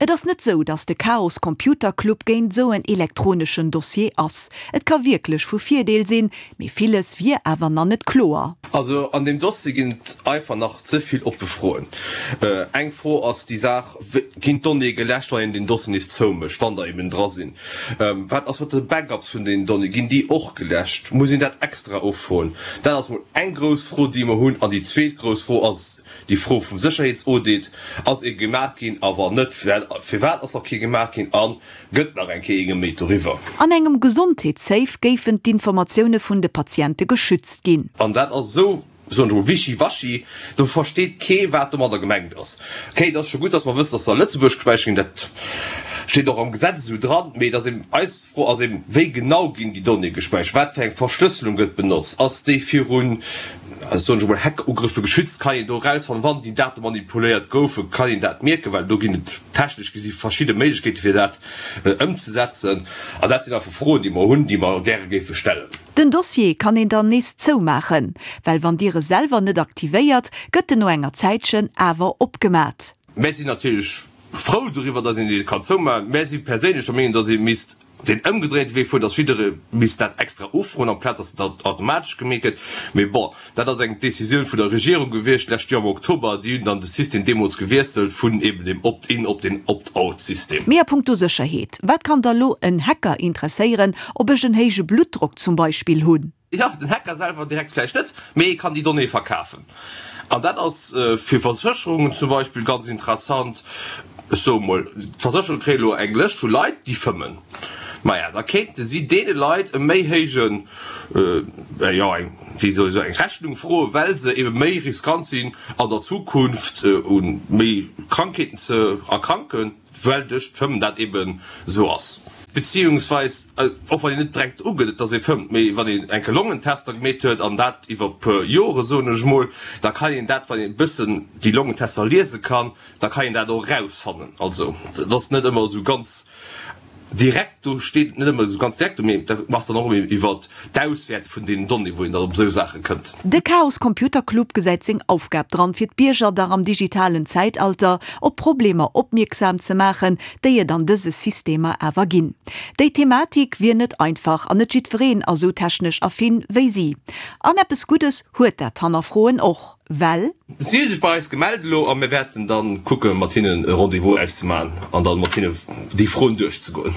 Et ass net sou, datt de Chaos Computer Club géint sou en elektroneschen Dossier ass. Et ka wierklech vu Virdeel sinn, mee villes wier awer na net kloer. Also an deem Dossier ginn et einfach nach ze vill oppe Froen. Eng Fro ass déi Saach, Ginn d'Donnéeë geläscht, wann een den Dossier nees zoumécht, wann der eben dra sinn? Wat ass mat de Backups vun den Donnéeë? Ginn déi och geläscht? Muss een dat extra offroen? Dat ass mol eng grouss Fro, déi mer hunn. An déi zweet grouss Fro ass, Déi Fro vum Sécherheetsaudit, Ass ee gemaach ginn a wann net, firwat ass nach kee gemaach ginn a gëtt nach eng Kéier ee geméit doriwwer? An engem Gesondheetssafe géifen d'Informatioune vun de Patiente geschützt ginn. An dat ass esou, soen ech emol, wischiwaschi, do versteet kee wat domadder gemengt ass. Okay, et ass scho gutt, datt mer wëssen, datt se a Lëtzebuerg gespäichert ginn, dat steet och am Gesetz esou dran, mee et ass eben, eis Fro ass eben, wéi genau ginn déi Donnéeë gespäichert, wat fir eng Verschlësselung gëtt benotzt, ass déi virun, soen ech emol, Hackugrëffe geschützt, kann een do erausfannen, wann déi Date manipuléiert goufen, kann een dat mierken, well do ginn et technesch gesi verschidde Méiglechkeete fir dat ëmzesetzen. An dat sinn einfach Froen, déi mer hunn, déi mer gäre géife stellen. Den Dossier kann een dann nees zoumaachen, well wann Dir e selwer net aktivéiert, gëtt en no enger Zäitchen awer opgemat. Mär sinn natierlech frou doriwwer, dass een dee kann zoumaachen. Mär si perséinlech der Meenung, dass ee misst deen ëmgedréinte Wee fueren, dass jidderee misst dat extra ufroen, amplaz dass dat automatesch gemeet gëtt. Mee bon, dat ass eng Décisioun vun der Regierung gewiescht d'lescht Joer am Oktober. Déi hunn dann de System deemools gewiesselt vun eben dem Opt-in op den Opt-out-System. Mee a punkto Sécherheet, wat kann da lo en Hacker interesséieren, ob ech en héije Bluttdrock zum Beispill hunn? Jo, den Hacker selwer direkt vläicht net, mee e kann déi Donnéeë verkafen. An dat ass fir Versécherungen zum Beispill ganz interessant. Ech soe mol, d'Versécherunge kréie elo eng Lëscht vu Leit, déi fëmmen. Maja, da kéinte si deene Leit e méi héijen, jo, eng, wéi soll ech soen, eng Rechnung froen, well se ebe méi riskant sinn an der Zukunft u méi Krankheeten ze erkranken. Well duerch d'Fëmmen dat eben esou ass. Beziehungsweis, och wann een net direkt ugëtt, dass ee fëmmt, mee wann een eng Kéier Longentester gemeet huet, an dat iwwer e puer Jore soen ech emol, da kann een dat, wann een e bëssen déi Longentester liese kann, da kann een dat och erausfannen. Also et ass net ëmmer esou ganz direkt, do steet et net ëmmer esou ganz direkt do, mee dat ass dann och ëmmer iwwert d'Auswäerte vun deenen Donnéeë wou een dann op esou Saache kënnt. De Chaos Computer Club gesäit seng Aufgab dran, fir d'Bierger dach am digitalen Zäitalter op Problemer opmierksam ze maachen, déi et an dëse Systemer awer ginn. Déi Thematik wier net einfach an net jiddwereen ass esou technesch affin wéi si. An eppes Guddes huet dat Hannerfroen och. Well. Si hu sech bei eis gemellt elo a mir wäerten dann kucke mat hinnen e Rendez-vous auszemaachen an dann mat hinne déi Froen duerchzegoen.